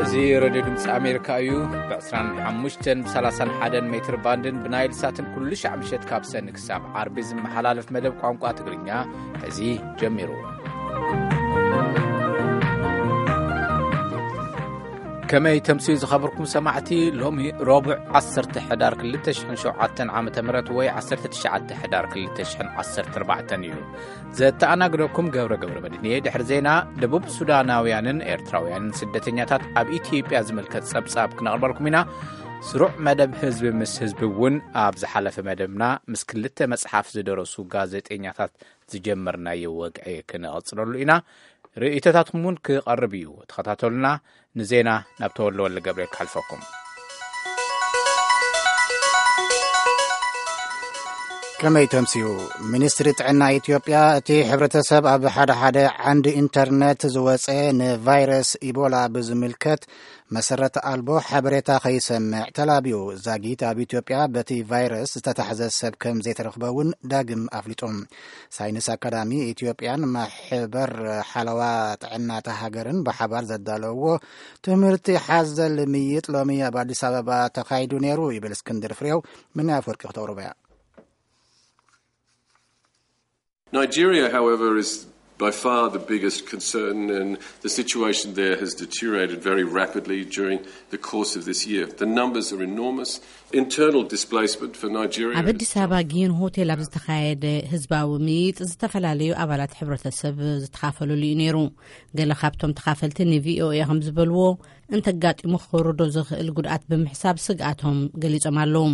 እዚ ሬድዮ ድምፂ ኣሜሪካ እዩ። ብ ዕስራን ሓሙሽተን ብ ሰላሳን ሓደን ሜትር ባንድን ብናይል ሳትን ኩሉ ሻዕ ምሸት ካብ ሰኒ ክሳብ ዓርቢ ዝመሓላለፍ መደብ ቋንቋ ትግርኛ ሕዚ ጀሚሩ። ከመይ ተምስዩ ዝኸበርኩም ሰማዕቲ? ሎሚ ረቡዕ ዓሰርተ ሕዳር ክልተ ሽሕን ሸውዓተን ዓመተ ምህረት ወይ ዓሰርተ ትሽዓተ ሕዳር ክልተ ሽሕን ዓሰርተ ኣርባዕተን እዩ። ዘተኣናግደኩም ገብረ ገብረ መድህን እየ። ድሕሪ ዜና፣ ደቡብ ሱዳናውያንን ኤርትራውያንን ስደተኛታት ኣብ ኢትዮጵያ ዝምልከት ጸብጻብ ክነቕርበልኩም ኢና። ስሩዕ መደብ ህዝቢ ምስ ህዝቢ እውን ኣብ ዝሓለፈ መደብና ምስ ክልተ መጽሓፍ ዝደረሱ ጋዜጠኛታት ዝጀመርናዮ ወግዒ ክንቐጽለሉ ኢና። ርእይቶታትኩም እውን ክቐርብ እዩ። ተኸታተሉና። ንዜና ናብ ተወልደ ወልደ ገብርኤል ክሓልፈኩም። ከመይ ተምስዩ? ሚኒስትሪ ጥዕና ኢትዮጵያ፣ እቲ ሕብረተሰብ ኣብ ሓደ ሓደ ዓንዲ ኢንተርነት ዝወፀ ንቫይረስ ኢቦላ ብዝምልከት መሰረት ኣልቦ ሓበሬታ ከይሰምዕ ተላብዩ። ዛጊት ኣብ ኢትዮጵያ በቲ ቫይረስ ዝተታሕዘ ሰብ ከም ዘይተረኽበ እውን ዳግም ኣፍሊጡ። ሳይንስ ኣካዳሚ ኢትዮጵያን ማሕበር ሓለዋ ጥዕናታ ሃገርን ብሓባር ዘዳለውዎ ትምህርቲ ሓዘል ምይጥ ሎሚ ኣብ ኣዲስ ኣበባ ተኻይዱ ነይሩ ይብል እስክንድር ፍሬው። ምን ኣፈወርቂ ክተቕርቦ እያ። Nigeria, however, is by far the biggest concern, and the situation there has deteriorated very rapidly during the course of this year. The numbers are enormous. Internal displacement for Nigeria. ኣብ ኣዲስ ኣበባ ጊዮን ሆቴል ኣብ ዝተኻየደ ህዝባዊ ምይጥ ዝተፈላለዩ ኣባላት ሕብረተሰብ ዝተኻፈለሉ እዩ ነይሩ። ገለ ካብቶም ተኻፈልቲ ንቪኦኤ ከም ዝበልዎ፣ እንተጋጢሙ ክወርዶ ዝኽእል ጉድኣት ብምሕሳብ ስግኣቶም ገሊጾም ኣለዉ።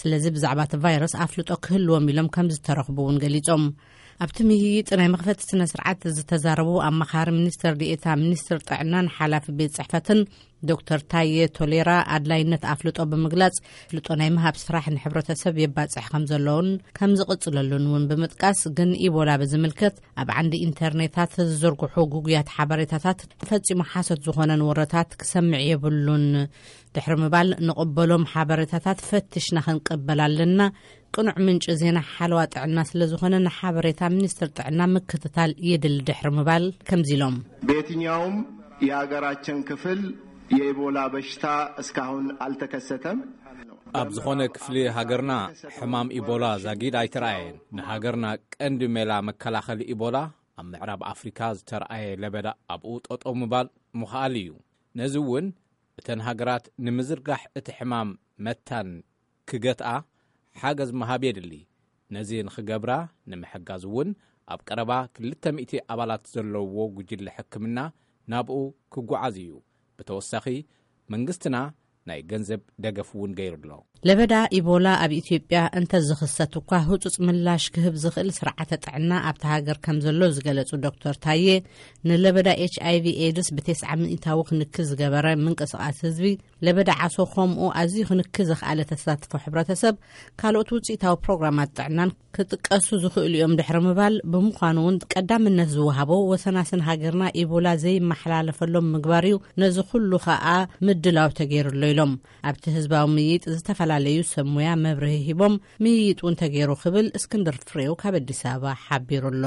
ስለዚ ብዛዕባ እቲ ቫይረስ ኣፍልጦ ክህልዎም ኢሎም ከም ዝተረኽቡ እውን ገሊጾም። ኣብቲ ምይይጥ ናይ መኽፈቲ ስነ ስርዓት ዝተዛረቡ ኣማኻሪ ሚኒስትር ዲኤታ ሚኒስትር ጥዕናን ሓላፊ ቤት ጽሕፈትን ዶክተር ታየ ቶሌራ፣ ኣድላይነት ኣፍልጦ ብምግላጽ፣ ኣፍልጦ ናይ ምሃብ ስራሕ ንሕብረተሰብ የባጽሕ ከም ዘለውን ከም ዝቕጽለሉን እውን ብምጥቃስ፣ ግን ኢቦላ ብዝምልከት ኣብ ዓንዲ ኢንተርኔታት ዝዝርግሑ ግጉያት ሓበሬታታት ፈጺሙ ሓሶት ዝኾነን ወረታት ክሰምዕ የብሉን ድሕሪ ምባል፣ ንቕበሎም ሓበሬታታት ፈትሽና ክንቅበል ኣለና። ቅኑዕ ምንጪ ዜና ሓለዋ ጥዕና ስለ ዝኾነ፣ ንሓበሬታ ሚኒስትር ጥዕና ምክትታል የድሊ ድሕሪ ምባል ከምዚ ኢሎም። በየትኛውም የሀገራችን ክፍል የኢቦላ በሽታ እስካሁን አልተከሰተም። ኣብ ዝኾነ ክፍሊ ሃገርና ሕማም ኢቦላ ዛጊድ ኣይተራእየን። ንሃገርና ቀንዲ ሜላ መከላኸሊ ኢቦላ ኣብ ምዕራብ ኣፍሪካ ዝተረኣየ ለበዳ ኣብኡ ጠጠው ምባል ምኽኣል እዩ። ነዚ እውን እተን ሃገራት ንምዝርጋሕ እቲ ሕማም መታን ክገትኣ ሓገዝ ምሃብ የድሊ። ነዚ ንኽገብራ ንምሕጋዝ እውን ኣብ ቀረባ ክልተ ሚእቲ ኣባላት ዘለውዎ ጉጅለ ሕክምና ናብኡ ክጓዓዝ እዩ። ብተወሳኺ መንግስትና ናይ ገንዘብ ደገፍ እውን ገይሩ ኣሎ። ለበዳ ኢቦላ ኣብ ኢትዮጵያ እንተዝኽሰት እኳ ህጹጽ ምላሽ ክህብ ዝኽእል ስርዓተ ጥዕና ኣብታ ሃገር ከም ዘሎ ዝገለጹ ዶክተር ታዬ፣ ንለበዳ ኤች ኣይ ቪ ኤድስ ብተስዓ ሚእታዊ ክንክል ዝገበረ ምንቅስቓስ ህዝቢ፣ ለበዳ ዓሶ ከምኡ ኣዝዩ ክንክል ዘኽኣለ ተሳትፎ ሕብረተሰብ፣ ካልኦት ውጽኢታዊ ፕሮግራማት ጥዕናን ክጥቀሱ ዝኽእሉ እዮም ድሕሪ ምባል፣ ብምዃኑ እውን ቀዳምነት ዝወሃቦ ወሰናስን ሃገርና ኢቦላ ዘይመሓላለፈሎም ምግባር እዩ። ነዚ ኩሉ ከኣ ምድላው ተገይሩ ኣሎ ኢሎም። ኣብቲ ህዝባዊ ምይይጥ ዝተፈላለዩ ሰብ ሙያ መብርሂ ሂቦም፣ ምይይጥ እውን ተገይሩ ክብል እስክንድር ፍሬው ካብ ኣዲስ ኣበባ ሓቢሩ ኣሎ።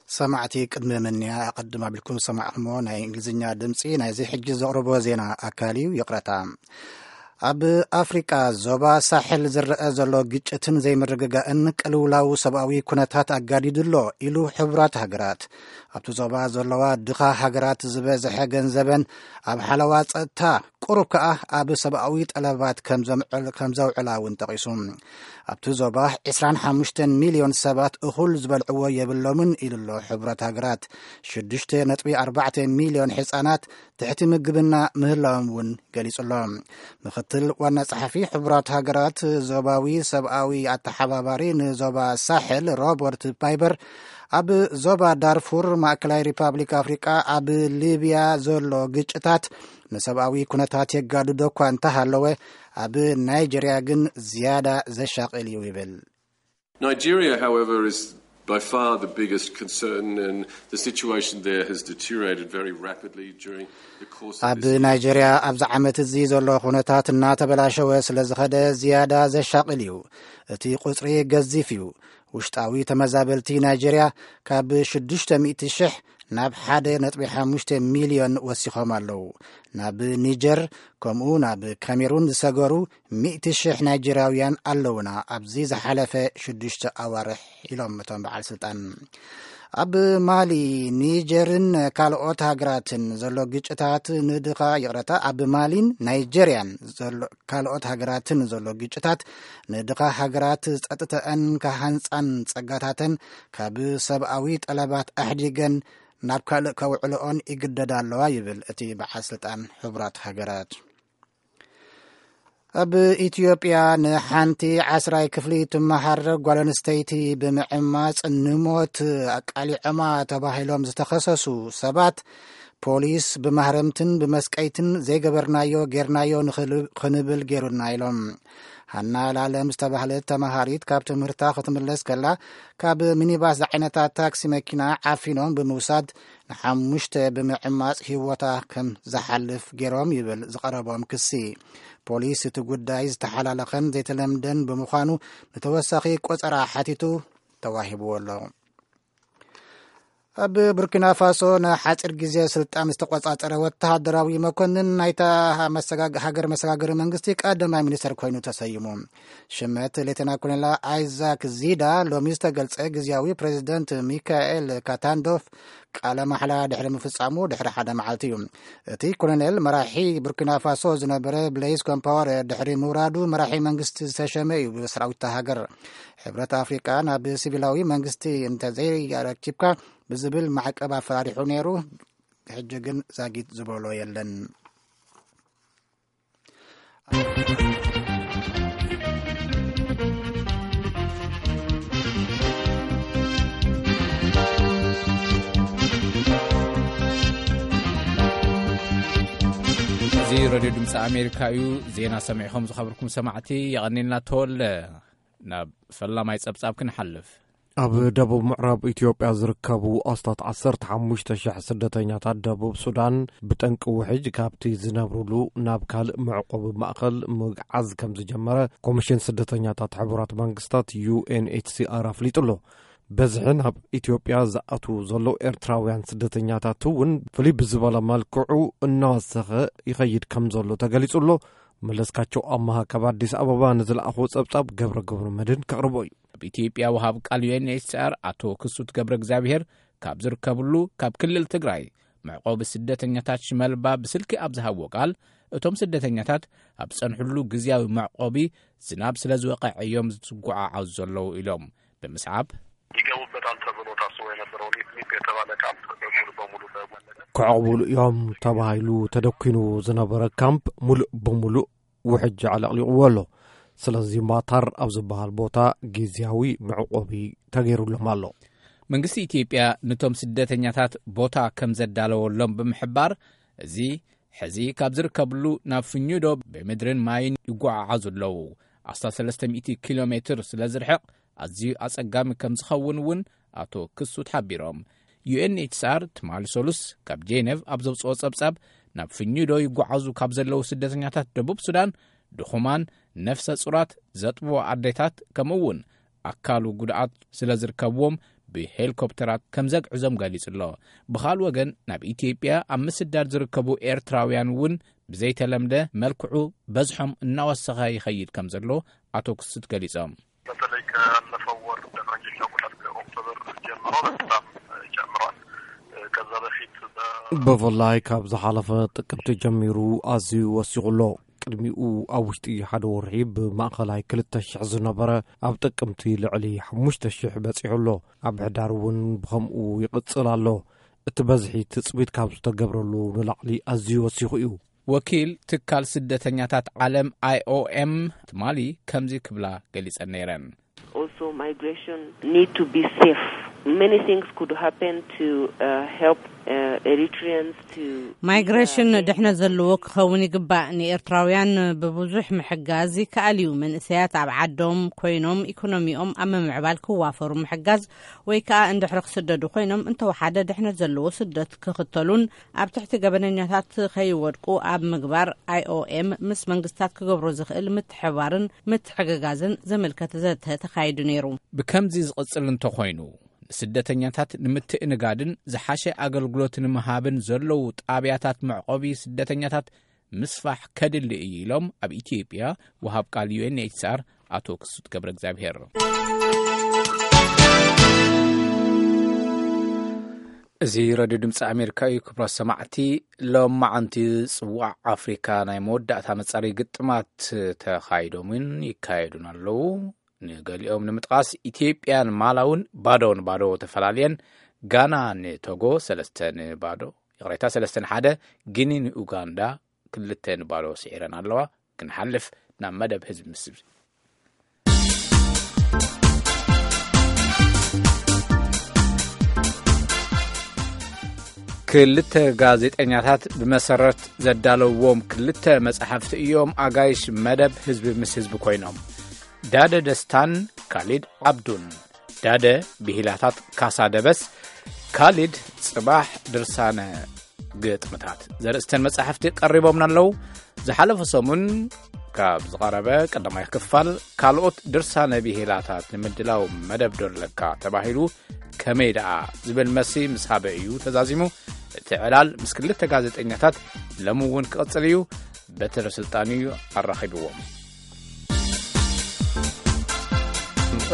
ሰማዕቲ፣ ቅድሚ ምንያ ኣቐድም ኣቢልኩም ዝሰማዕኹምዎ ናይ እንግሊዝኛ ድምፂ ናይዚ ሕጂ ዘቕርቦ ዜና ኣካል እዩ። ይቕረታ። ኣብ ኣፍሪቃ ዞባ ሳሕል ዝረአ ዘሎ ግጭትን ዘይምርግጋእን ቅልውላው ሰብኣዊ ኩነታት ኣጋዲዱ ኣሎ ኢሉ ሕቡራት ሃገራት። ኣብቲ ዞባ ዘለዋ ድኻ ሃገራት ዝበዝሐ ገንዘበን ኣብ ሓለዋ ጸጥታ፣ ቁሩብ ከኣ ኣብ ሰብኣዊ ጠለባት ከም ዘምዕል-፣ ከም ዘውዕላ እውን ጠቒሱ። ኣብቲ ዞባ ዕስራን ሓሙሽተን ሚልዮን ሰባት እኹል ዝበልዕዎ የብሎምን ኢሉ ኣሎ ሕቡራት ሃገራት። ሽዱሽተ ነጥቢ ኣርባዕተ ሚልዮን ህጻናት ትሕቲ ምግብና ምህላዎም እውን ገሊጹ ኣሎ። ምኽትል ዋና ጸሓፊ ሕቡራት ሃገራት ዞባዊ ሰብኣዊ ኣተሓባባሪ ንዞባ ሳሕል ሮበርት ፓይበር፣ ኣብ ዞባ ዳርፉር፣ ማእከላይ ሪፓብሊክ ኣፍሪቃ፣ ኣብ ሊብያ ዘሎ ግጭታት ንሰብኣዊ ኩነታት የጋድዶ እኳ እንተሃለወ፣ ኣብ ናይጀርያ ግን ዝያዳ ዘሻቕል እዩ ይብል። Nigeria, however, is by far the biggest concern, and the situation there has deteriorated very rapidly during the course of ኣብ this. ናይጀርያ ኣብዚ ዓመት እዚ ዘሎ ኩነታት እናተበላሸወ ስለ ዝኸደ ዝያዳ ዘሻቕል እዩ። እቲ ቁጽሪ ገዚፍ እዩ። ውሽጣዊ ተመዛበልቲ ናይጄርያ ካብ ሽዱሽተ ሚእቲ ሽሕ ናብ ሓደ ነጥቢ ሓሙሽተ ሚልዮን ወሲኾም ኣለዉ። ናብ ኒጀር ከምኡ ናብ ካሜሩን ዝሰገሩ ሚእቲ ሽሕ ናይጄርያውያን ኣለዉና ኣብዚ ዝሓለፈ ሽዱሽተ ኣዋርሕ፣ ኢሎም እቶም በዓል ስልጣን። ኣብ ማሊ፣ ኒጀርን ካልኦት ሃገራትን ዘሎ ግጭታት ንድኻ፣ ይቕረታ፣ ኣብ ማሊን ናይጄርያን ዘሎ ካልኦት ሃገራትን ዘሎ ግጭታት ንድኻ ሃገራት ጸጥተአን ከሃንጻን ጸጋታተን ካብ ሰብኣዊ ጠለባት ኣሕዲገን ናብ ካልእ ከውዕልኦን ይግደዳ ኣለዋ፣ ይብል እቲ በዓል ስልጣን ሕቡራት ሃገራት። ኣብ ኢትዮጵያ ንሓንቲ ዓስራይ ክፍሊ ትመሃር ጓል ኣንስተይቲ ብምዕማጽ ንሞት ኣቃሊዖማ ተባሂሎም ዝተኸሰሱ ሰባት፣ ፖሊስ ብማህረምትን ብመስቀይትን ዘይገበርናዮ ጌርናዮ ንኽል-፣ ክንብል ጌሩና፣ ኢሎም። ሃና ላለም ዝተባህለት ተማሃሪት ካብ ትምህርታ ክትምለስ ከላ፣ ካብ ሚኒባስ ዝዓይነታ ታክሲ መኪና ዓፊኖም ብምውሳድ ንሓሙሽተ ብምዕማጽ ህይወታ ከም ዝሓልፍ ገይሮም፣ ይብል ዝቐረቦም ክሲ። ፖሊስ እቲ ጉዳይ ዝተሓላለኸን ዘይተለምደን ብምዃኑ ንተወሳኺ ቆጸራ ሓቲቱ ተዋሂብዎ ኣሎ። ኣብ ቡርኪና ፋሶ ንሓጺር ግዜ ስልጣን ዝተቆጻጸረ ወተሃደራዊ መኮንን ናይታ መሰጋግ-፣ ሃገር መሰጋገሪ መንግስቲ ቀዳማይ ሚኒስተር ኮይኑ ተሰይሙ። ሽመት ሌተና ኮሎኔል ኣይዛክ ዚዳ ሎሚ ዝተገልጸ ግዜያዊ ፕሬዚደንት ሚካኤል ካታንዶፍ ቃለ ማሕላ ድሕሪ ምፍጻሙ ድሕሪ ሓደ መዓልቲ እዩ። እቲ ኮሎኔል መራሒ ቡርኪና ፋሶ ዝነበረ ብሌይዝ ኮምፓወር ድሕሪ ምውራዱ መራሒ መንግስቲ ዝተሸመ እዩ ብሰራዊት እታ ሃገር። ሕብረት ኣፍሪቃ ናብ ሲቪላዊ መንግስቲ እንተዘይረኪብካ ብዝብል ማዕቀብ ኣፈራሪሑ ነይሩ። ሕጂ ግን ዛጊት ዝበሎ የለን። እዚ ሬድዮ ድምፂ ኣሜሪካ እዩ። ዜና ሰሚዕኹም ዝኸበርኩም ሰማዕቲ የቐኒልና። ተወለ ናብ ፈላማይ ጸብጻብ ክንሓልፍ። ኣብ ደቡብ ምዕራብ ኢትዮጵያ ዝርከቡ ኣስታት ዓሰርተ ሓሙሽተ ሽሕ ስደተኛታት ደቡብ ሱዳን ብጠንቂ ውሕጅ ካብቲ ዝነብሩሉ ናብ ካልእ መዕቆቢ ማእከል ምግዓዝ ከም ዝጀመረ ኮሚሽን ስደተኛታት ሕቡራት መንግስታት፣ ዩ ኤን ኤች ሲ ኣር፣ ኣፍሊጡ ኣሎ። በዝሒ ናብ ኢትዮጵያ ዝኣትዉ ዘለዉ ኤርትራውያን ስደተኛታት እውን ፍልይ ብዝበለ መልክዑ እናወሰኸ ይኸይድ ከም ዘሎ ተገሊጹ ኣሎ። መለስካቸው ኣማሃ ካብ ኣዲስ ኣበባ ንዝለኣኾ ጸብጻብ ገብረ ገብረ መድህን ከቕርቦ እዩ። ኣብ ኢትዮጵያ ወሃብ ቃል ዩ ኤን ኤች ሲ ኣር ኣቶ ክሱት ገብረ እግዚኣብሔር ካብ ዝርከብሉ ካብ ክልል ትግራይ መዕቆቢ ስደተኛታት ሽመልባ ብስልኪ ኣብ ዝሃብዎ ቃል፣ እቶም ስደተኛታት ኣብ ዝጸንሕሉ ግዝያዊ መዕቆቢ ዝናብ ስለ ዝወቕዐ እዮም ዝጉዓዓዙ ዘለዉ ኢሎም። ብምስዓብ ይገቡበታል ተብሎ ታስቦ የነበረው ኒፕ ኒፕ የተባለ ካምፕ ሙሉ በሙሉ ተወለደ። ክዕቕቡሉ እዮም ተባሂሉ ተደኪኑ ዝነበረ ካምፕ ሙሉእ ብሙሉእ ውሕጅ ኣዕለቕሊቕዎ ኣሎ። ስለዚ ማታር ኣብ ዝበሃል ቦታ ግዝያዊ መዕቆቢ ተገይሩሎም ኣሎ። መንግስቲ ኢትዮጵያ ነቶም ስደተኛታት ቦታ ከም ዘዳለወሎም ብምሕባር፣ እዚ ሕዚ ካብ ዝርከብሉ ናብ ፍኙዶ ብምድርን ማይን ይጓዓዓዙ ኣለዉ። ኣስታት ሰለስተ ሚእቲ ኪሎ ሜትር ስለ ዝርሕቕ ኣዝዩ ኣጸጋሚ ከም ዝኸውን እውን ኣቶ ክሱት ሓቢሮም። ዩ ኤን ኤች ሲ ኣር ትማሊ ሰሉስ ካብ ጄኔቭ ኣብ ዘውጽኦ ጸብጻብ፣ ናብ ፍኙዶ ይጓዓዙ ካብ ዘለዉ ስደተኛታት ደቡብ ሱዳን ድኹማን፣ ነፍሰ ጹራት፣ ዘጥብዎ ኣዴታት፣ ከምኡ እውን ኣካሉ ጉድኣት ስለ ዝርከብዎም ብሄሊኮፕተራት ከም ዘግዕዞም ገሊጹ ኣሎ። ብኻልእ ወገን ናብ ኢትዮጵያ ኣብ ምስዳድ ዝርከቡ ኤርትራውያን እውን ብዘይተለምደ መልክዑ በዝሖም እናወሰኸ ይኸይድ ከም ዘሎ ኣቶ ክሱት ገሊጾም። በተለይ ካለፈው ወር እንደ ፈረንጆች አቆጣጠር ከኦክቶበር ጀምሮ በጣም ጨምሯል። ከዛ በፊት በ- ብፍላይ ካብ ዝሓለፈ ጥቅምቲ ጀሚሩ ኣዝዩ ወሲኹ ኣሎ። ቅድሚኡ ኣብ ውሽጢ ሓደ ወርሒ ብማእኸላይ ክልተ ሽሕ ዝነበረ ኣብ ጥቅምቲ ልዕሊ ሓሙሽተ ሽሕ በጺሑ ኣሎ። ኣብ ሕዳር እውን ብኸምኡ ይቕጽል ኣሎ። እቲ በዝሒ ትጽቢት ካብ ዝተገብረሉ ንላዕሊ ኣዝዩ ወሲኹ እዩ። ወኪል ትካል ስደተኛታት ዓለም ኣይ ኦ ኤም ትማሊ ከምዚ ክብላ ገሊጸን ነይረን። Also, migration need to be safe. Many things could happen to uh, help uh, Eritreans to. ማይግሬሽን ድሕነት ዘለዎ ክኸውን ይግባእ። ንኤርትራውያን ብብዙሕ ምሕጋዝ ይከኣል እዩ። መንእሰያት ኣብ ዓዶም ኮይኖም ኢኮኖሚኦም ኣብ ምምዕባል ክዋፈሩ ምሕጋዝ፣ ወይ ከኣ እንድሕሪ ክስደዱ ኮይኖም እንተወሓደ ድሕነት ዘለዎ ስደት ክኽተሉን ኣብ ትሕቲ ገበነኛታት ከይወድቁ ኣብ ምግባር፣ ኣይኦኤም ምስ መንግስታት ክገብሮ ዝኽእል ምትሕባርን ምትሕግጋዝን ዘመልከተ ዘተ ተኻይዱ ነይሩ። ብከምዚ ዝቕጽል እንተኾይኑ፣ ንስደተኛታት ንምትእንጋድን ዝሓሸ ኣገልግሎት ንምሃብን ዘለዉ ጣብያታት መዕቆቢ ስደተኛታት ምስፋሕ ከድሊ እዩ ኢሎም ኣብ ኢትዮጵያ ወሃብ ቃል ዩ ኤን ኤች ሲ ኣር ኣቶ ክሱት ገብረ እግዚኣብሔር። እዚ ረድዮ ድምፂ ኣሜሪካ እዩ። ክቡራት ሰማዕቲ፣ ሎማዓንቲ ጽዋዕ ኣፍሪካ ናይ መወዳእታ መጻረይ ግጥማት ተኻይዶምን ይካየዱን ኣለዉ። ንገሊኦም ንምጥቓስ፣ ኢትዮጵያን ማላውን ባዶ ንባዶ ተፈላልየን፣ ጋና ንቶጎ ሰለስተ ንባዶ፣ ይቕሬታ፣ ሰለስተ ንሓደ፣ ጊኒ ንኡጋንዳ ክልተ ንባዶ ስዒረን ኣለዋ። ክንሓልፍ ናብ መደብ ህዝቢ ምስ ህዝቢ። ክልተ ጋዜጠኛታት ብመሰረት ዘዳለውዎም ክልተ መጻሕፍቲ እዮም ኣጋይሽ መደብ ህዝቢ ምስ ህዝቢ ኮይኖም። ዳደ ደስታን ካሊድ ዓብዱን። ዳደ ብሂላታት ካሳ ደበስ፣ ካሊድ ጽባሕ ድርሳነ ግጥምታት ዘርእስተን መጻሕፍቲ ቀሪቦምና ኣለዉ። ዝሓለፈ ሰሙን ካብ ዝቐረበ ቀዳማይ ክፋል ካልኦት ድርሳነ ብሂላታት ንምድላው መደብ ዶ ኣለካ ተባሂሉ፣ ከመይ ደኣ ዝብል መልሲ ምስ ሃበ እዩ ተዛዚሙ። እቲ ዕላል ምስ ክልተ ጋዜጠኛታት ሎሚ እውን ክቕጽል እዩ። በትረ ስልጣን እዩ ኣራኺብዎም።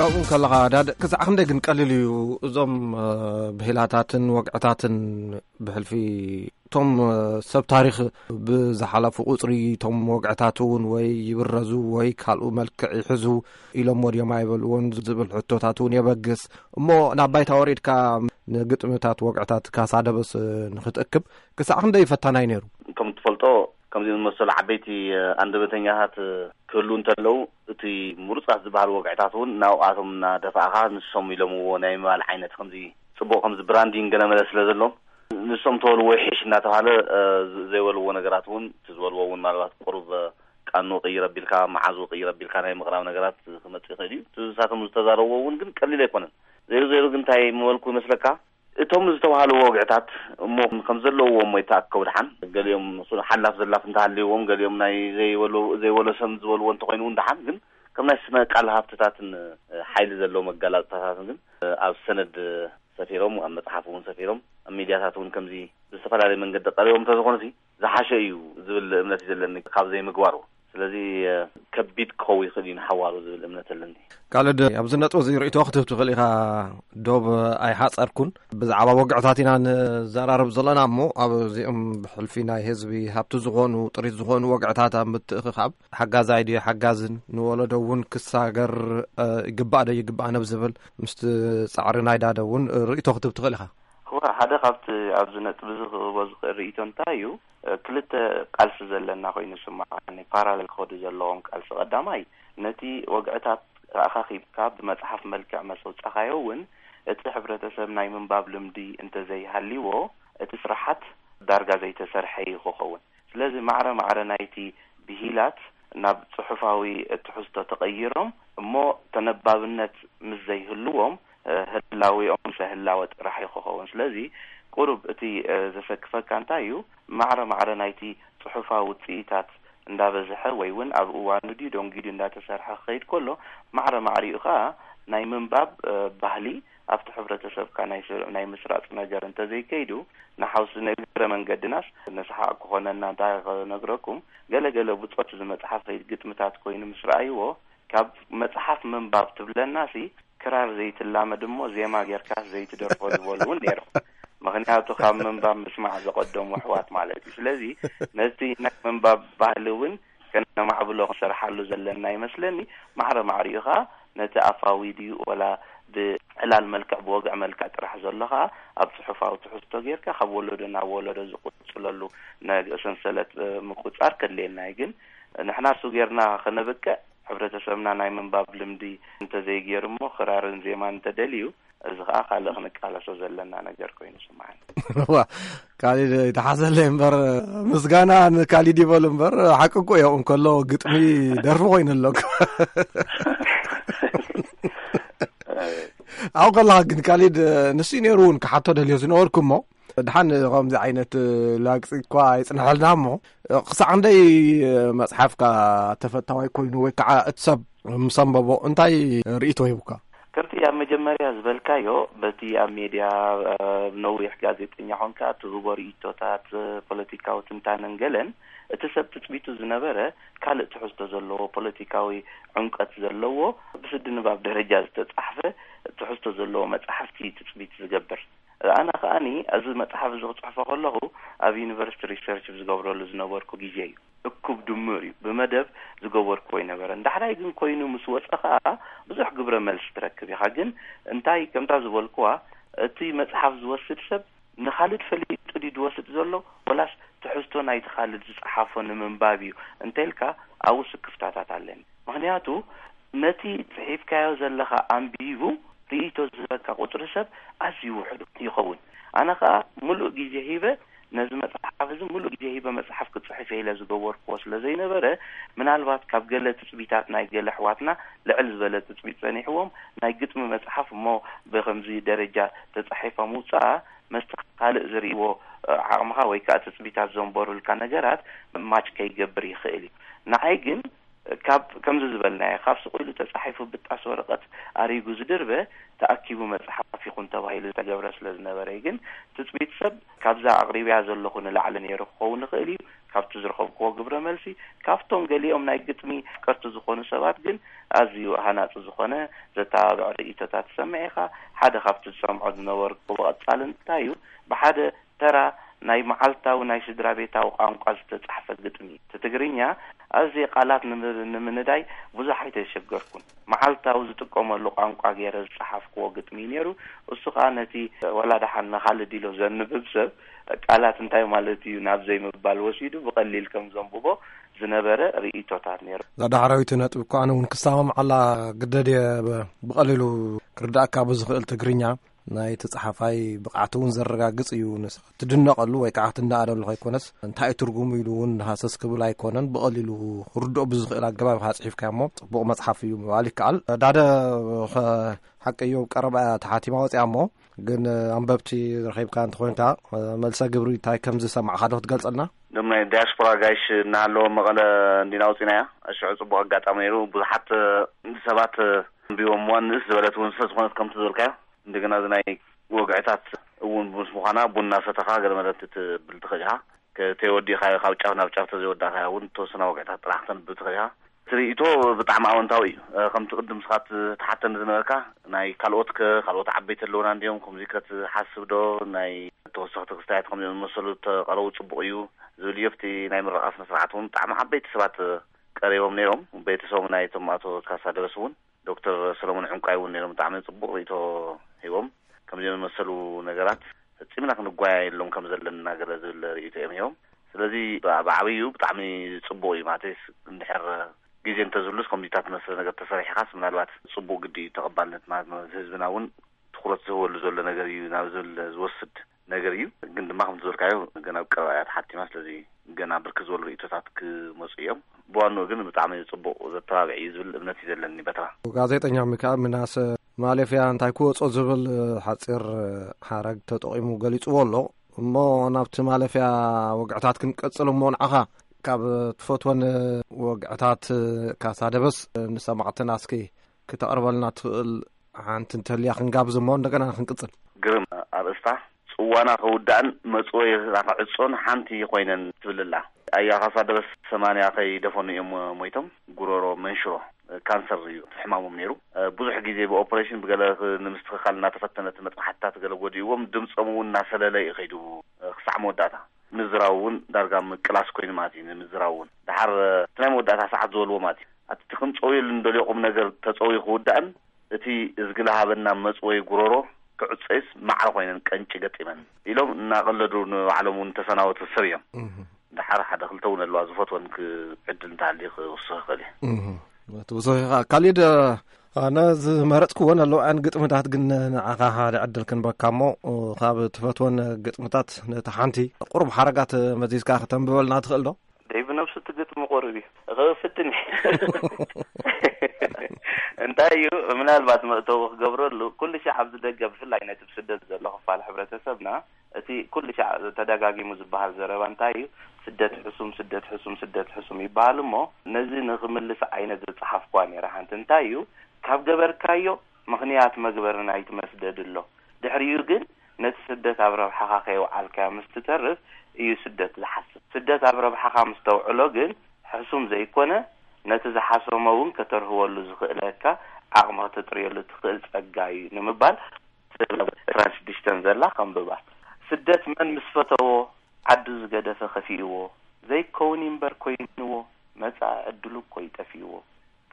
ኣብኡ ከለኻ ዳድ ክሳዕ ክንደይ ግን ቀሊል እዩ እዞም እ፣ ብሂላታትን ወግዕታትን ብሕልፊ እቶም እ፣ ሰብ ታሪኽ ብዝሓለፉ ቁጽሪ እቶም ወግዕታት እውን ወይ ይብረዙ ወይ ካልኡ መልክዕ ይሕዙ ኢሎሞ ድዮም ኣይበልዎን ዝብል ሕቶታት እውን የበግስ። እሞ ናብ ባይታ ወሪድካ ንግጥምታት ወግዕታት ካሳ ደበስ እ፣ ንክትእክብ ክሳዕ ክንደይ ፈታናይ ነይሩ? ከም ትፈልጦ ከምዚ ዝመሰሉ ዓበይቲ ኣንደበተኛታት ክህሉ እንተለዉ፣ እቲ ምሩጻት ዝበሃል ወግዕታት እውን ናብኣቶም እናደፋእኻ ንሶም ኢሎምዎ ናይ ምባል ዓይነት ከምዚ ጽቡቕ ከምዚ ብራንዲንግ ገለ መለ ስለ ዘሎም ንሶም ተበልዎ ይሕሽ እናተባሃለ ዘይበልዎ ነገራት እውን እቲ ዝበልዎ እውን ምናልባት ቁሩብ ቃኑ ቅይር ኣቢልካ መዓዙ ቅይር ኣቢልካ ናይ ምቕራብ ነገራት ክመጽእ ይኽእል እዩ። እቲ ንሳቶም ዝተዛረብዎ እውን ግን ቀሊል ኣይኮነን። ዘይሩ ዘይሩ ግን እንታይ ምበልኩ ይመስለካ? እቶም ዝተባህሉ ወግዕታት እሞ ከም ዘለዎም ወይ ተኣከቡ ደሓን ገሊኦም ሓላፍ ዘላፍ እንተሃልዎም ገሊኦም ናይ ዘይበሎ ዘይበሎ ሰብ ዝበልዎ እንተኮይኑ እውን ደሓን ግን ከም ናይ ስነ ቃል ሃብትታትን ሓይሊ ዘለዎ መጋላፅታታትን ግን ኣብ ሰነድ ሰፊሮም ኣብ መፅሓፍ እውን ሰፊሮም ኣብ ሚድያታት እውን ከምዚ ብዝተፈላለየ መንገዲ ቀሪቦም እንተዝኾኑ ሲ ዝሓሸ እዩ ዝብል እምነት እዩ ዘለኒ ካብ ዘይምግባሩ። ስለዚ ከቢድ ክኸውን ይኽእል እዩ ንሓዋሩ ዝብል እምነት ኣለኒ። ካልድ ኣብዚ ነጥቢ እዚ ርእይቶ ክትህብ ትኽእል ኢኻ። ዶብ ኣይሓፀርኩን። ብዛዕባ ወግዕታት ኢና ንዘራረብ ዘለና እሞ ኣብዚኦም ብሕልፊ ናይ ህዝቢ ሃብቲ ዝኾኑ ጥሪት ዝኾኑ ወግዕታት ኣብ ምትእኽኻብ ሓጋዛይ ድዩ ሓጋዝን ንወለዶ እውን ክሳገር ይግባእ ዶ ይግባእ ነብ ዝብል ምስቲ ፃዕሪ ናይ ዳደ እውን ርእይቶ ክትህብ ትኽእል ኢኻ። እወ፣ ሓደ ካብቲ ኣብዚ ነጥቢ እዚ ክህቦ ዝኽእል ርእይቶ እንታይ እዩ፣ ክልተ ቃልሲ ዘለና ኮይኑ ይስምዓኒ፣ ፓራለል ክኸዱ ዘለዎም ቃልሲ። ቀዳማይ፣ ነቲ ወግዕታት ኣኻኺብካ ብመጽሓፍ መልክዕ መስ ኣውጻኻዮ እውን፣ እቲ ሕብረተሰብ ናይ ምንባብ ልምዲ እንተዘይሃልይዎ፣ እቲ ስራሓት ዳርጋ ዘይተሰርሐ እዩ ክኸውን። ስለዚ ማዕረ ማዕረ ናይቲ ብሂላት ናብ ጽሑፋዊ ትሕዝቶ ተቐይሮም እሞ ተነባብነት ምስ ዘይህልዎም፣ ህላዌኦም ምሰ ህላወ ጥራሕ እዩ ክኸውን። ስለዚ ቁሩብ እቲ ዘሰክፈካ እንታይ እዩ፣ ማዕረ ማዕረ ናይቲ ጽሑፋዊ ውጽኢታት እንዳበዝሐ ወይ እውን ኣብ እዋኑ ድዩ ደንጊዩ ድዩ እንዳተሰርሐ ክኸይድ ከሎ፣ ማዕረ ማዕሪኡ ከኣ ናይ ምንባብ ባህሊ ኣብቲ ሕብረተሰብካ ናይ ስሩዕ ናይ ምስራጽ ነገር እንተዘይከይዱ፣ ንሓውሲ ንእግረ መንገድናስ ንስሓቕ ክኾነና እንታይ ክነግረኩም፣ ገለ ገለ ብጾት እዚ መጽሓፍ ግጥምታት ኮይኑ ምስ ረኣይዎ፣ ካብ መጽሓፍ ምንባብ ትብለናሲ ክራር ዘይትላመድ እሞ ዜማ ጌርካ ዘይትደርፎ ዝበሉ እውን ነይሮም። ምኽንያቱ ካብ ምንባብ ምስማዕ ዘቐደሙ ኣሕዋት ማለት እዩ። ስለዚ ነቲ ናይ ምንባብ ባህሊ እውን ከነማዕብሎ ክንሰርሓሉ ዘለና ይመስለኒ። ማዕረ ማዕሪኡ ኸዓ ነቲ ኣፋዊ ድዩ ወላ ብዕላል መልክዕ ብወግዒ መልክዕ ጥራሕ ዘሎ ኸዓ ኣብ ጽሑፋዊ ትሕዝቶ ጌርካ ካብ ወለዶ ናብ ወለዶ ዝቕጽለሉ ሰንሰለት ምቁጻር ከድልየና እዩ። ግን ንሕና እሱ ጌርና ከነብቅዕ ሕብረተሰብና ናይ ምንባብ ልምዲ እንተዘይገይሩ እሞ ክራርን ዜማን እንተደልዩ እዚ ከዓ ካልእ ክንቃለሶ ዘለና ነገር ኮይኑ ስምዓኒ። ዋ፣ ካሊድ ይተሓዘለይ እምበር፣ ምስጋና ንካሊድ ይበሉ እምበር፣ ሓቂ እኮ እዮም። እንከሎ ግጥሚ ደርፊ ኮይኑ ኣሎ እኮ። ኣብኡ ከለኻ ግን ካሊድ፣ ንሱ ነይሩ እውን ክሓቶ ደልዮ ዝነበርኩ እሞ፣ ድሓን ከምዚ ዓይነት ላግፂ እኳ ኣይፅንሐልና እሞ፣ ክሳዕ ክንደይ መፅሓፍካ ተፈታዋይ ኮይኑ ወይ ከዓ እቲ ሰብ ምስ ኣንበቦ እንታይ ርእይቶ ሂቡካ? ከምቲ ኣብ መጀመርያ ዝበልካዮ፣ በቲ ኣብ ሜድያ፣ እ፣ ነዊሕ ጋዜጠኛ ኾንካ ትህቦ ርእይቶታት፣ እ፣ ፖለቲካዊ ትንታነን ገለን፣ እቲ ሰብ ትጽቢቱ ዝነበረ ካልእ ትሕዝቶ ዘለዎ፣ ፖለቲካዊ ዕምቀት ዘለዎ፣ ብስዲ ንባብ ደረጃ ዝተጻሕፈ ትሕዝቶ ዘለዎ መጻሕፍቲ ትጽቢት ዝገብር። ኣነ ከኣኒ፣ እዚ መጽሓፍ እዚ ክጽሕፎ ከለኹ፣ ኣብ ዩኒቨርሲቲ ሪሰርች ዝገብረሉ ዝነበርኩ ግዜ እዩ። እኩብ ድምር እዩ። ብመደብ ዝገበርክዎ ኣይነበረን። ዳሕራይ ግን ኮይኑ ምስ ወጸ ኸኣ ብዙሕ ግብረ መልሲ ትረክብ ኢኻ። ግን እንታይ፣ ከምታ ዝበልክዋ፣ እቲ መጽሓፍ ዝወስድ ሰብ ንኻልድ ፈሊጡ ድዩ ዝወስድ ዘሎ፣ ወላስ ትሕዝቶ ናይቲ ኻልድ ዝጸሓፎ ንምንባብ እዩ እንተልካ፣ ኣብኡ ስክፍታታት ኣለኒ። ምኽንያቱ፣ ነቲ ጽሒፍካዮ ዘለኻ ኣንቢቡ ርእይቶ ዝህበካ ቁጽሪ ሰብ ኣዝዩ ውሑድ ይኸውን። ኣነ ኸኣ ምሉእ ግዜ ሂበ ነዚ መጽሓፍ እዚ ምሉእ ግዜ ሂበ መጽሓፍ ክጽሕፍ ኢለ ዝገበርክዎ ስለ ዘይነበረ፣ ምናልባት ካብ ገለ ትጽቢታት ናይ ገለ ኣሕዋትና ልዕል ዝበለ ትጽቢት ጸኒሕዎም፣ ናይ ግጥሚ መጽሓፍ እሞ ብኸምዚ ደረጃ ተጻሒፋ ምውጻኣ፣ መስቲ ካልእ ዝርእይዎ ዓቕምኻ ወይ ከኣ ትጽቢታት ዘንበሩልካ ነገራት ማች ከይገብር ይኽእል እዩ። ንዓይ ግን ካብ፣ ከምዚ ዝበልናዮ፣ ካብ ስቕ ኢሉ ተጻሒፉ ብጣስ ወረቐት ኣሪጉ ዝድርበ፣ ተኣኪቡ መጽሓፍ ይኹን ተባሂሉ ዝተገብረ ስለ ዝነበረ እዩ። ግን ትጽቢት ሰብ ካብዛ ኣቕሪብያ ዘለኹ ንላዕሊ ነይሩ ክኸውን ይኽእል እዩ። ካብቲ ዝረኸብክዎ ግብረ መልሲ፣ ካብቶም ገሊኦም ናይ ግጥሚ ኣፍቀርቲ ዝኾኑ ሰባት ግን ኣዝዩ ሃናጺ ዝኾነ ዘተባብዕ ርእይቶታት ትሰምዕ ኢኻ። ሓደ ካብቲ ዝሰምዖ ዝነበርኩ ብቐጻሊ እንታይ እዩ፣ ብሓደ ተራ ናይ መዓልታዊ ናይ ስድራ ቤታዊ ቋንቋ ዝተጻሕፈ ግጥሚ። እቲ ትግርኛ ኣዝየ ቃላት ንምር-፣ ንምንዳይ ብዙሕ ኣይተሸገርኩን። መዓልታዊ ዝጥቀመሉ ቋንቋ ገይረ ዝጸሓፍክዎ ግጥሚ እዩ ነይሩ። እሱ ከኣ ነቲ ዋላ ደሓን ንኻልድ ኢሎ ዘንብብ ሰብ ቃላት እንታይ ማለት እዩ ናብ ዘይምባል ወሲዱ ብቐሊል ከም ዘንብቦ ዝነበረ ርእይቶታት ነይሩ። እዛ ዳሕራዊት ነጥቢ እኮ ኣነ እውን ክሰማምዓላ ግደድ እየ። ብ-፣ ብቐሊሉ ክርዳእካ ብዝኽእል ትግርኛ ናይቲ ጸሓፋይ ብቕዓት እውን ዘረጋግጽ እዩ። ንስ-፣ ትድነቐሉ ወይ ከዓ ትነኣደሉ ከይኮነስ፣ እንታይ እዩ ትርጉሙ ኢሉ እውን ሃሰስ ክብል ኣይኮነን። ብቐሊሉ ክርድኦ ብዝኽእል ኣገባብ ኢኻ ጽሒፍካዮ እሞ፣ ጽቡቕ መጽሓፍ እዩ ምባል ይከኣል። ዳደ፣ ኸ-፣ ሓቂ እዩ፣ ቀረባ እያ ተሓቲማ ወጺኣ እሞ፣ ግን ኣንበብቲ ረኺብካ እንተኾይንካ፣ መልሰ ግብሪ እንታይ ከም ዝሰማዕኻ ዶ ክትገልጸልና? እዞም ናይ ዳያስፖራ ጋይሽ እናሃለወ መቐለ እንዲና ኣውፂናያ። ሽዑ ፅቡቕ ኣጋጣሚ ነይሩ። ብዙሓት ሰባት ኣንቢቦምዋ፣ ንእስ ዝበለት እውን ስለ ዝኾነት ከምቲ ዝበልካዮ። እንደገና እዚ ናይ ወግዕታት እውን ምስ ምዃና ቡና ሰተኻ ገለ መለ ትብል ትኽእል ኢኻ። ከተይወዲእካዮ፣ ካብ ጫፍ ናብ ጫፍ ተዘይወዳእካዮ እውን ተወሰና ወግዕታት ጥራሕ ክተንብብ ትኽእል ኢኻ። እቲ ርእይቶ ብጣዕሚ ኣወንታዊ እዩ። እ፣ ከምቲ ቅድም ንስኻ ትሓተኒ ዝነበርካ፣ ናይ ካልኦት ከ፣ ካልኦት ዓበይቲ ኣለውና እንዲዮም፣ ከምዚ ከ ትሓስብ ዶ? ናይ ተወሰኽቲ ክስታያት ከምዚኦም ዝመሰሉ ተቐረቡ ጽቡቕ እዩ ዝብል እዩ። ኣብቲ ናይ ምረቓ ስነ ስርዓት እውን ብጣዕሚ ዓበይቲ ሰባት ቀሪቦም ነይሮም። ቤተሰቦም ናይቶም ኣቶ ካሳ ደበስ እውን፣ ዶክተር ሰሎሞን ዕንቋይ እውን ነይሮም። ብጣዕሚ ጽቡቕ ርእይቶ ሂቦም። ከምዚኦም ዝመሰሉ ነገራት ፈጺምና ክንጓየየሎም ከም ዘለና ገለ ዝብል ርእይቶ እዮም ሂቦም። ስለዚ ብ-፣ ብዓብዩ ብጣዕሚ ጽቡቕ እዩ። ማለተይስ እንድሕር ግዜ እንተዝህሉስ ከምዚታት ዝመስለ ነገር ተሰሪሕኻስ ምናልባት ጽቡቕ ግዲ እዩ ተቐባልነት ማለት ነው። ህዝብና እውን ትኹረት ዝህበሉ ዘሎ ነገር እዩ ናብ ዝብል ዝወስድ ነገር እዩ። ግን ድማ ከምቲ ዝበልካዮ ገና ኣብ ቀረባ እያ ተሓቲማ። ስለዚ ገና ብርክት ዝበሉ ርእይቶታት ክመፁ እዮም። ብዋንኡ ግን ብጣዕሚ ጽቡቕ ዘተባብዕ እዩ ዝብል እምነት እዩ ዘለኒ በታ። ጋዜጠኛ ሚካኤል ምናሰ ማለፍያ እንታይ ክወጾ ዝብል ሓጺር ሓረግ ተጠቒሙ ገሊጽዎ ኣሎ። እሞ ናብቲ ማለፍያ ወግዕታት ክንቀጽል እሞ ንዓኻ ካብ ትፈትወን ወግዕታት ካሳ ደበስ ንሰማዕትና እስኪ ክተቕርበልና ትኽእል ሓንቲ እንተልያ ክንጋብዝ እሞ እንደገና ክንቅጽል። ግርም ኣርእስታ። ጽዋና ክውዳእን መጽወይና ክዕጾን ሓንቲ ኮይነን ትብል ኣላ። ኣያ ካሳ ደበስ ሰማንያ ከይደፈኑ እዮም ሞይቶም። ጉሮሮ መንሽሮ፣ ካንሰር እዩ ሕማሞም ነይሩ። ብዙሕ ግዜ ብኦፕሬሽን ብገለ ክ-፣ ንምስትኽኻል እናተፈተነ እቲ መጥባሕትታት ገለ ጎዲእዎም፣ ድምጾም እውን እናሰለለ እዩ ከይዱ ክሳዕ መወዳእታ። ምዝራብ እውን ዳርጋ ምቅላስ ኮይኑ ማለት እዩ። ንምዝራብ እውን ደሓር እቲ ናይ መወዳእታ ሰዓት ዝበልዎ ማለት እዩ። እቲ ክንጸውየሉ እንደልዮ ቁም ነገር ተጸውዩ ክውዳእን እቲ እዝጊ ለሃበና መጽወይ ጉሮሮ ክዕጾይስ ማዕረ ኮይነን ቀንጪ ገጢመን ኢሎም እናቐለዱ ንባዕሎም እውን ተሰናበቱ ሰብ እዮም። እህ። ደሓር ሓደ ክልተ እውን ኣለዋ ዝፈትወን ክ-፣ ዕድል እንተሃልዩ ክውስኽ ይኽእል እዩ። እህ። እቲ ብዙሕ ኢኻ። ካሊድ፣ ኣነ ዝመረጽክወን ኣለዋን ግጥምታት ግን ንዓኻ ሓደ ዕድል ክንበካ እሞ፣ ካብ ትፈትወን ግጥምታት ነታ ሓንቲ ቁሩብ ሓረጋት መዚዝካ ከተንብበልና ትኽእል ዶ? ደይ ብነብሱ እቲ ግጥሚ ቁሩብ እዩ። እኸ ፍትን እዩ። እንታይ እዩ፣ ምናልባት መእተዊ ክገብረሉ፣ ኩሉ ሻዕ ኣብዚ ደገ ብፍላይ ነቲ ብስደት ዘሎ ክፋል ሕብረተሰብና፣ እቲ ኩሉ ሻዕ ተደጋጊሙ ዝበሃል ዘረባ እንታይ እዩ? ስደት ሕሱም፣ ስደት ሕሱም፣ ስደት ሕሱም ይበሃል እሞ፣ ነዚ ንኽምልስ ዓይነት ዝጸሓፍኳ ነይረ። ሓንቲ እንታይ እዩ፣ ካብ ገበርካዮ ምኽንያት መግበሪ ናይቲ መስደድ ኣሎ። ድሕሪኡ ግን ነቲ ስደት ኣብ ረብሓኻ ከየውዓልካዮ ምስ ትተርፍ እዩ ስደት ዝሓስብ። ስደት ኣብ ረብሓኻ ምስ ተውዕሎ ግን ሕሱም ዘይኮነ፣ ነቲ ዝሓሰሞ እውን ከተርህወሉ ዝኽእለካ ዓቕሚ ከተጥርየሉ ትኽእል ጸጋ እዩ ንምባል፣ ስለ ዕስራን ሽዱሽተን ዘላ ከንብባ። ስደት መን ምስ ፈተዎ፣ ዓዱ ዝገደፈ ከፊእዎ፣ ዘይከውን እምበር ኮይንዎ፣ መጻኢ ዕድሉ እኮ ይጠፊእዎ።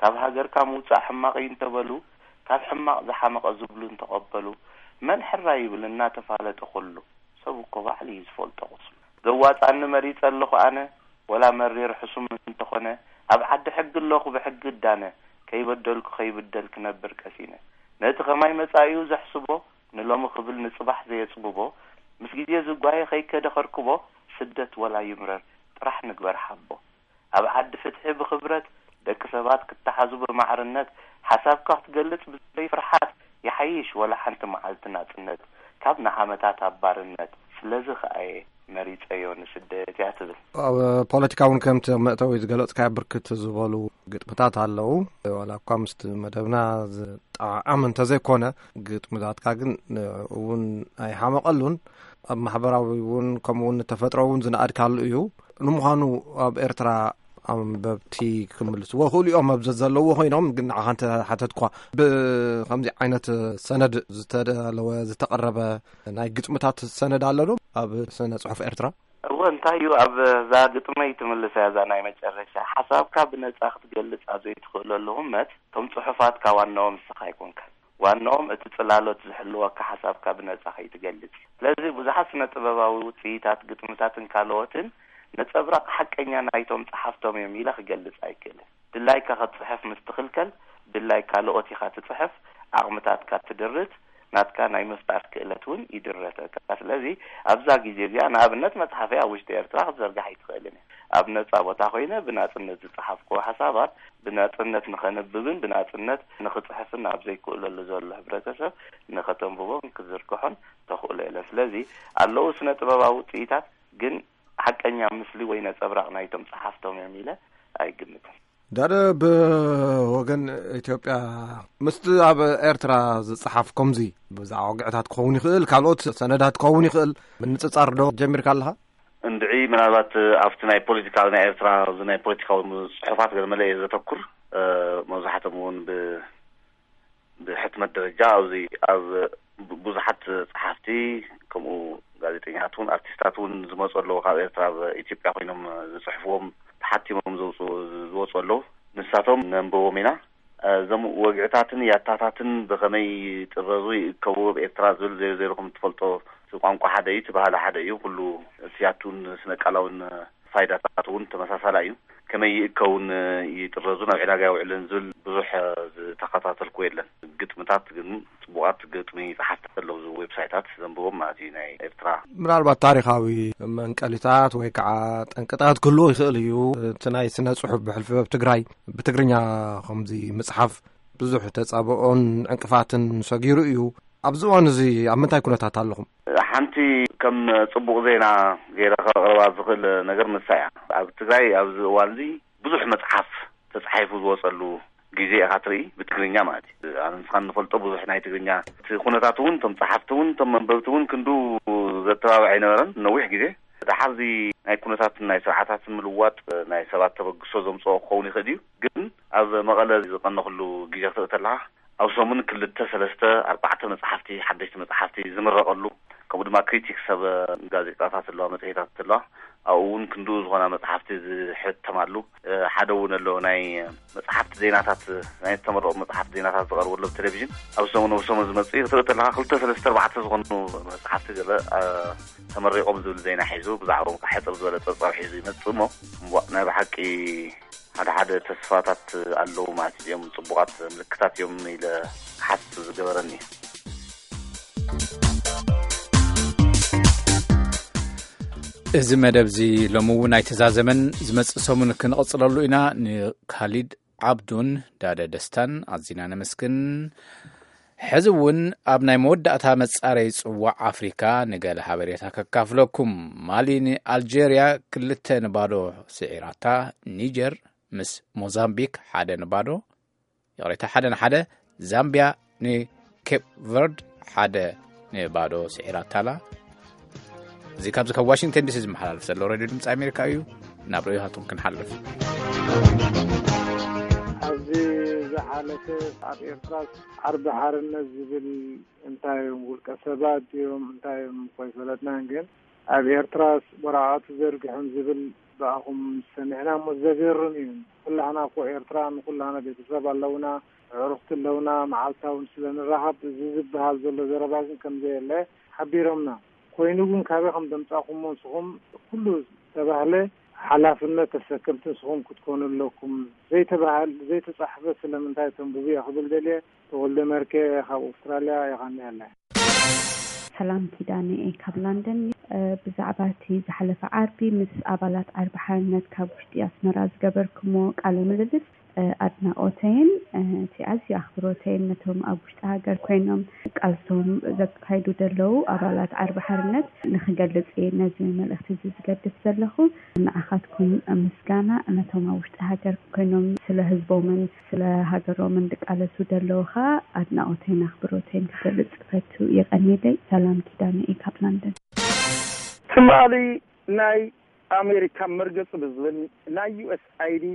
ካብ ሃገርካ ምውጻእ ሕማቕ እዩ እንተበሉ፣ ካብ ሕማቕ ዝሓመቐ ዝብሉ እንተቐበሉ፣ መን ሕራይ ይብል እናተፋለጠ ኩሉ፣ ሰብ እኮ ባዕሉ እዩ ዝፈልጦ ቁስሉ። ዘዋጻኒ መሪጸ ኣለኹ ኣነ፣ ወላ መሪር ሕሱም እንተኾነ፣ ኣብ ዓዲ ሕጊ ኣለኹ ብሕጊ እዳነ፣ ከይበደልኩ ከይብደል ክነብር ቀሲነ። ነቲ ከማይ መጻኢኡ ዘሕስቦ፣ ንሎሚ ክብል ንጽባሕ ዘየጽብቦ፣ ምስ ግዜ ዝጓየ ከይከደ ከርክቦ፣ ስደት ወላ ይምረር፣ ጥራሕ ንግበር ሓቦ። ኣብ ዓዲ ፍትሒ ብኽብረት፣ ደቂ ሰባት ክተሓዙ ብማዕርነት፣ ሓሳብካ ክትገልጽ ብዘይ ፍርሓት፣ ይሓይሽ ወላ ሓንቲ መዓልቲ ናጽነት፣ ካብ ንዓመታት ኣብ ባርነት። ስለዚ ኸኣየ መሪጸዮ ንስደት እያ ትብል። ኣብ ፖለቲካ እውን ከምቲ መእተዊ ዝገለጽካዮ ብርክት ዝበሉ ግጥምታት ኣለዉ። ዋላ እኳ ምስቲ መደብና ዝጠዓዓም እንተዘይኮነ፣ ግጥምታትካ ግን እውን ኣይሓመቐሉን። ኣብ ማሕበራዊ እውን ከምኡ እውን ንተፈጥሮ እውን ዝነኣድካሉ እዩ። ንምዃኑ ኣብ ኤርትራ ኣንበብቲ ክምልስዎ ክእሉ እዮም ኣብ ዘዘለዎ ኮይኖም፣ ግን ንዓኻ እንተ ሓተትኳ፣ ብከምዚ ዓይነት ሰነድ ዝተዳለወ፣ ዝተቐረበ ናይ ግጥምታት ሰነድ ኣሎ ዶ ኣብ ስነ ጽሑፍ ኤርትራ? እወ፣ እንታይ እዩ፣ ኣብ እዛ ግጥመይ ትምልሳ እያ፣ እዛ ናይ መጨረሻ። ሓሳብካ ብነጻ ክትገልጽ ኣብ ዘይትኽእለሉ ህመት፣ እቶም ጽሑፋትካ ዋናኦም ንስኻ ኣይኮንካን። ዋናኦም እቲ ጽላሎት ዝሕልወካ ሓሳብካ ብነጻ ከይትገልጽ። ስለዚ ብዙሓት ስነ ጥበባዊ ውጽኢታት፣ ግጥምታትን ካልኦትን ነጸብራቕ ሓቀኛ ናይቶም ጸሓፍቶም እዮም ኢለ ክገልጽ ኣይክእልን። ድላይካ ክትጽሕፍ ምስ ትኽልከል፣ ድላይ ካልኦት ኢኻ ትጽሕፍ፣ ዓቕምታትካ ትድርት፣ ናትካ ናይ ምፍጣር ክእለት እውን ይድረተካ። ስለዚ ኣብዛ ግዜ እዚኣ ንኣብነት መጽሓፈይ ኣብ ውሽጢ ኤርትራ ክትዘርጋሕ ኣይትኽእልን እያ። ኣብ ነጻ ቦታ ኮይነ ብናጽነት ዝጸሓፍክዎ ሓሳባት ብናጽነት ንኸንብብን ብናጽነት ንኽጽሕፍን ኣብ ዘይክእለሉ ዘሎ ሕብረተሰብ ንኸተንብቦን ክዝርግሖን ተኽእሎ የለን። ስለዚ ኣለዉ ስነ ጥበባዊ ውጽኢታት፣ ግን ሓቀኛ ምስሊ ወይ ነጸብራቕ ናይቶም ጸሓፍቶም እዮም ኢለ ኣይግምትን። ዳደ ብወገን ኢትዮጵያ ምስቲ ኣብ ኤርትራ ዝጸሓፍ ከምዚ ብዛዕባ ወግዕታት ክኸውን ይኽእል፣ ካልኦት ሰነዳት ክኸውን ይኽእል፣ ምንጽጻር ዶ ጀሚርካ ኣለኻ? እንድዒ ምናልባት ኣብቲ ናይ ፖለቲካዊ ናይ ኤርትራ፣ ኣብዚ ናይ ፖለቲካዊ ጽሑፋት ገለ መለ እየ ዘተኩር። እ፣ መብዛሕትኦም እውን ብ-፣ ብሕትመት ደረጃ ኣብዚ ኣብ ብ-፣ ብዙሓት ጸሓፍቲ ከምኡ ጋዜጠኛታት እውን ኣርቲስታት እውን ዝመጹ ኣለዉ። ካብ ኤርትራ ኣብ ኢትዮጵያ ኮይኖም ዝጽሕፍዎም ተሓቲሞም ዘውጽኡ፣ ዝወጹ ኣለዉ። ንሳቶም ነንብቦም ኢና። እዞም ወግዕታትን ያታታትን ብኸመይ ይጥረዙ ይእከቡ ኣብ ኤርትራ ዝብል ዜሮ ዜሮ ከም እትፈልጦ፣ እቲ ቋንቋ ሓደ እዩ፣ እቲ ባህሊ ሓደ እዩ። ኩሉ እቲ ያቱን ስነ ቃላውን ፋይዳታት እውን ተመሳሳላ እዩ። ከመይ ይእከውን ይጥረዙን ኣብ ዕዳጋ ይውዕልን ዝብል ብዙሕ ዝተኸታተልኩ የለን። ግጥምታት ግን ጽቡቓት ግጥሚ ጸሓፍቲ ኣለዉ፣ እዚ ዌብሳይታት ዘንብቦም ማለት እዩ፣ ናይ ኤርትራ። ምናልባት ታሪኻዊ መንቀሊታት ወይ ከዓ ጠንቅታት ክህልዎ ይኽእል እዩ። እቲ ናይ ስነ ጽሑፍ ብሕልፊ ኣብ ትግራይ ብትግርኛ ከምዚ ምጽሓፍ ብዙሕ ተጻብኦን ዕንቅፋትን ሰጊሩ እዩ። ኣብዚ እዋን እዚ ኣብ ምንታይ ኩነታት ኣለኹም? ሓንቲ ከም ጽቡቕ ዜና ገይረ ከቕርባ ዝኽእል ነገር ንሳ እያ። ኣብ ትግራይ ኣብዚ እዋን እዚ ብዙሕ መጽሓፍ ተጻሒፉ ዝወጸሉ ግዜ ኢኻ ትርኢ፣ ብትግርኛ ማለት እዩ። ኣነ ንስኻን ንፈልጦ ብዙሕ ናይ ትግርኛ እቲ ኩነታት እውን፣ እቶም ጸሓፍቲ እውን፣ እቶም መንበብቲ እውን ክንዱ ዘተባብዕ ኣይነበረን ነዊሕ ግዜ። ደሓር እዚ ናይ ኩነታትን ናይ ስርዓታትን ምልዋጥ ናይ ሰባት ተበግሶ ዘምጽኦ ክኸውን ይኽእል እዩ። ግን ኣብ መቐለ ዝቐነኽሉ ግዜ ክትርኢ ተለኻ፣ ኣብ ሰሙን ክልተ፣ ሰለስተ፣ ኣርባዕተ መጽሓፍቲ፣ ሓደሽቲ መጽሓፍቲ ዝምረቐሉ፣ ከምኡ ድማ ክሪቲክስ ኣብ ጋዜጣታት ኣለዋ፣ መጽሔታት ኣለዋ። ኣብኡ እውን ክንድኡ ዝኾና መጽሓፍቲ ዝሕተማሉ፣ እ፣ ሓደ እውን ኣሎ፣ ናይ መጽሓፍቲ ዜናታት፣ ናይ ዝተመረቑ መጽሓፍቲ ዜናታት ዝቐርበሉ ኣብ ቴሌቪዥን። ኣብ ሰሙን፣ ኣብ ሰሙን ዝመጽእ እዩ። ክትርኢ ተለኻ ክልተ፣ ሰለስተ፣ ኣርባዕተ ዝኾኑ መጽሓፍቲ ገለ፣ እ፣ ተመሪቖም ዝብል ዜና ሒዙ፣ ብዛዕባኦም ከዓ ሕጽር ዝበለ ጸብጻብ ሒዙ ይመጽእ እሞ፣ እምቧእ፣ ናይ ብሓቂ ሓደ ሓደ ተስፋታት ኣለዉ ማለት እዮም። ጽቡቓት ምልክታት እዮም ኢለ ክሓስብ ዝገበረኒ። እዚ መደብ እዚ ሎሚ እውን ኣይተዛዘመን፣ ዝመጽእ ሰሙን ክንቕጽለሉ ኢና። ንካሊድ ዓብዱን ዳደ ደስታን ኣዚና ነመስግን። ሕዚ እውን ኣብ ናይ መወዳእታ መጻረይ ጽዋዕ ኣፍሪካ ንገለ ሓበሬታ ከካፍለኩም። ማሊ ንኣልጀርያ ክልተ ንባዶ ስዒራታ። ኒጀር ምስ ሞዛምቢክ ሓደ ንባዶ፣ ይቕሬታ፣ ሓደ ንሓደ። ዛምቢያ ንኬፕ ቨርድ ሓደ ንባዶ ስዒራታ ኣላ። እዚ ካብዚ ካብ ዋሽንግተን ዲሲ ዝመሓላለፍ ዘሎ ሬድዮ ድምፂ ኣሜሪካ እዩ። ናብ ርእይቶታትኩም ክንሓልፍ። ኣብዚ ዝሓለፈ ኣብ ኤርትራ ዓርቢ ሓርነት ዝብል እንታይ እዮም? ውልቀ ሰባት እዮም? እንታይ እዮም? እኮ ኣይፈለጥናን። ግን ኣብ ኤርትራስ ወረቓቕቲ ዘርግሖም ዝብል ብኣኹም ሰሚዕና እሞ ዘገርም እዩ። ኩላህና እኮ ኤርትራ ንኩላህና ቤተሰብ ኣለውና፣ ኣዕሩኽቲ ኣለውና፣ መዓልታውን ስለ ንራኸብ እዚ ዝበሃል ዘሎ ዘረባ ግን ከም ዘየለ ሓቢሮምና። ኮይኑ ግን ካበይ ከም ዘምጻእኩሞ ንስኹም ኩሉ ዝተባህለ ሓላፍነት ተሰከምቲ ንስኹም ክትኮኑ ኣለኩም። ዘይተባህል-፣ ዘይተጻሕፈ ስለምንታይ ተንብቡ እየ ክብል ደልየ። ተወልደ መርኬ ካብ ኣውስትራልያ የቐንየለይ። ሰላም ኪዳነ እየ ካብ ላንደን። እ፣ ብዛዕባ እቲ ዝሓለፈ ዓርቢ ምስ ኣባላት ዓርቢ ሓርነት ካብ ውሽጢ ኣስመራ ዝገበርኩሞ ቃለ ምልልስ፣ እ፣ ኣድናቖተይን፣ እ፣ እቲ ኣዝዩ ኣኽብሮተይን ነቶም ኣብ ውሽጢ ሃገር ኮይኖም ቃልሶም ዘካይዱ ዘለዉ ኣባላት ዓርቢ ሓርነት ንኽገልጽ እየ ነዚ መልእኽቲ እዚ ዝገድፍ ዘለኹ። ንዓኻትኩም ምስጋና፣ ነቶም ኣብ ውሽጢ ሃገር ኮይኖም ስለ ህዝቦምን ስለ ሃገሮምን ዝቃለሱ ዘለዉ ኸኣ ኣድናቖተይን ኣኽብሮተይን ክገልጽ እፈቱ። የቐንየለይ። ሰላም ኪዳነ እየ ካብ ላንደን። ትማሊ ናይ ኣሜሪካ መርገጺ ብዝብል ናይ ዩ ኤስ ኣይ ዲ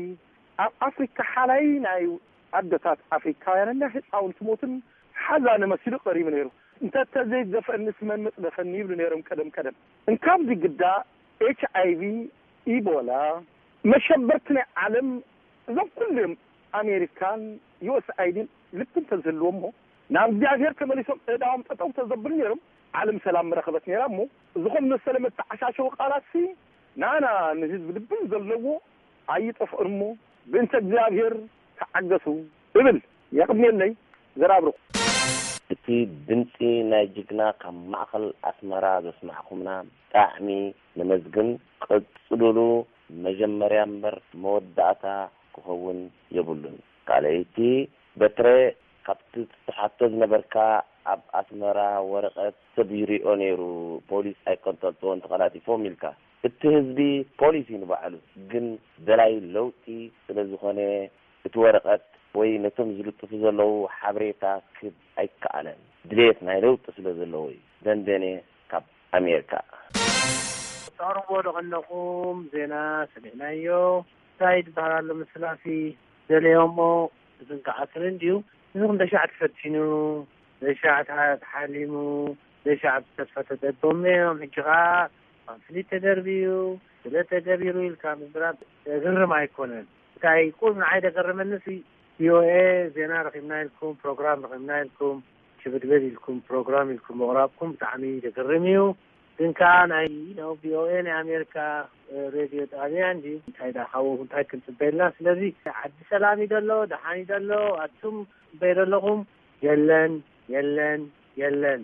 ኣብ ኣፍሪካ ሓላይ ናይ ኣደታት ኣፍሪካውያንን ናይ ህፃውንቲ ሞትን ሓዛኒ መሲሉ ቀሪቡ ነይሩ። እንተ ዘይደፈእኒ ስመን መፅደፈኒ ይብሉ ነይሮም ቀደም ቀደም። እንካብዚ ግዳ ኤች ኣይ ቪ፣ ኢቦላ፣ መሸበርቲ ናይ ዓለም እዞም ኩሎም ኣሜሪካን ዩ ኤስ ኣይ ዲን ልቢ እንተዝህልዎም እሞ ናብ እግዚኣብሔር ተመሊሶም እዳዎም ጠጠው ተዘብሉ ነይሮም ዓለም ሰላም ምረኸበት ነይራ። እሞ እዚኹም መሰለ መተዓሻሸዊ ቃላት ሲ ናና ንህዝቢ ልብን ዘለዎ ኣይጠፍእን እሞ ብእንተ እግዚኣብሔር ተዓገሱ እብል። የቕድሜለይ ዘራብርኹ። እቲ ድምፂ ናይ ጅግና ካብ ማእኸል ኣስመራ ዘስማዕኹምና ብጣዕሚ ነመስግን። ቀፅሉሉ። መጀመርያ እምበር መወዳእታ ክኸውን የብሉን። ካልኣይቲ በትረ ካብቲ ትሓቶ ዝነበርካ ኣብ ኣስመራ ወረቐት ሰብ ይሪኦ ነይሩ፣ ፖሊስ ኣይቀንጠልጥዎን ተቐላጢፎም ኢልካ። እቲ ህዝቢ ፖሊስ እዩ ንባዕሉ፣ ግን ደላይ ለውጢ ስለ ዝኾነ እቲ ወረቐት ወይ ነቶም ዝልጥፉ ዘለዉ ሓበሬታ ክብ ኣይከኣለን። ድሌት ናይ ለውጢ ስለ ዘለዎ እዩ። ደንደኔ ካብ ኣሜሪካ። ተቕርቦ ዶ ከለኹም ዜና ሰሚዕናዮ። እንታይ ዝበሃል ኣሎ ምስላፊ ደለዮሞ ዝንቃዓስን እንድዩ። እዚ ክንደሻዕ ተፈቲኑ፣ ደሻዕ ተሓ-፣ ተሓሊሙ፣ ደሻዕ ብተስፋ ተደቦም እዮም። ሕጂ ኸዓ ፓምፍሊት ተደርብዩ፣ ስለ ተገቢሩ ኢልካ ምዝራብ ዘግርም ኣይኮነን። እንታይ ቁም ንዓይ ደገረመኒ ሲ፣ ቪ ኦ ኤ ዜና ረኺብና ኢልኩም፣ ፕሮግራም ረኺብና ኢልኩም፣ ሽብድበድ ኢልኩም፣ ፕሮግራም ኢልኩም ምቕራብኩም ብጣዕሚ ዘገርም እዩ። ግን ከኣ ናይ፣ you know፣ ቪ ኦ ኤ ናይ ኣሜሪካ፣ እ፣ ሬድዮ ጣብያ እንዲ እንታይ ዳ ካብኡ እንታይ ክንጽበየልና? ስለዚ ዓዲ ሰላም እዩ ዘሎ፣ ደሓን እዩ ዘሎ፣ ኣቱም ጽበዩ ዘለኹም፣ የለን፣ የለን፣ የለን።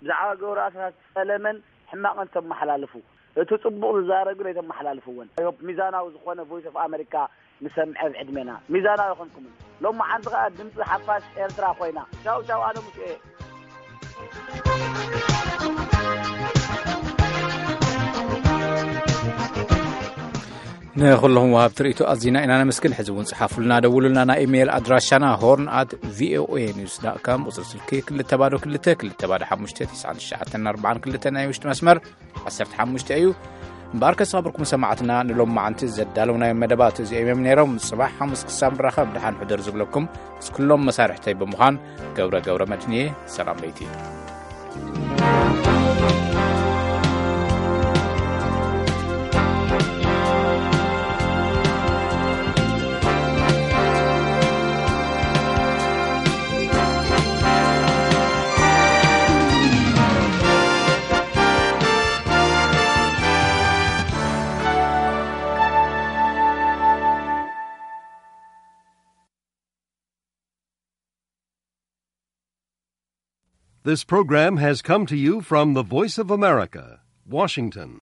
ብዛዕባ ገብሩ ኣስራት ጸለመን ሕማቕን ተመሓላልፉ። እቲ ጽቡቕ ዝዛረብ ግን ኣይተመሓላልፍዎን። ሚዛናዊ ዝኾነ ቮይስ ኦፍ ኣመሪካ ንሰምዐ ኣብ ዕድሜና። ሚዛናዊ ኣይኮንኩምን። ሎማዓንቲ ኸኣ ድምጺ ሓፋሽ ኤርትራ ኮይና። ቻው ቻው፣ ኣነ ሙሴ እየ። ንኹለኹም ወሃብቲ ርእይቶ ኣዚና ኢና ነመስግን። ሕዚ እውን ጽሓፉልና፣ ደውሉልና። ናይ ኢሜይል ኣድራሻና ሆርን ኣት ቪ ኦ ኤ ኒውስ ዳት ካም፣ ቁጽሪ ስልኪ ክልተ ባዶ ክልተ፣ ክልተ ባዶ ሓሙሽተ፣ ትስዓን ትሽዓተን ኣርባዓን ክልተ፣ ናይ ውሽጢ መስመር ዓሰርተ ሓሙሽተ እዩ። እምበኣር ከሳብርኩም ሰማዕትና ንሎማዓንቲ ዘዳለውናዮም መደባት እዚኦም እዮም ነይሮም። ጽባሕ ሓሙስ ክሳብ ንራኸብ ደሓን ሕደሩ ዝብለኩም ምስ ኩሎም መሳርሕተይ ብምዃን ገብረ ገብረ መድህን እየ። ሰላም ለይቲ። This program has come to you from the Voice of America, Washington.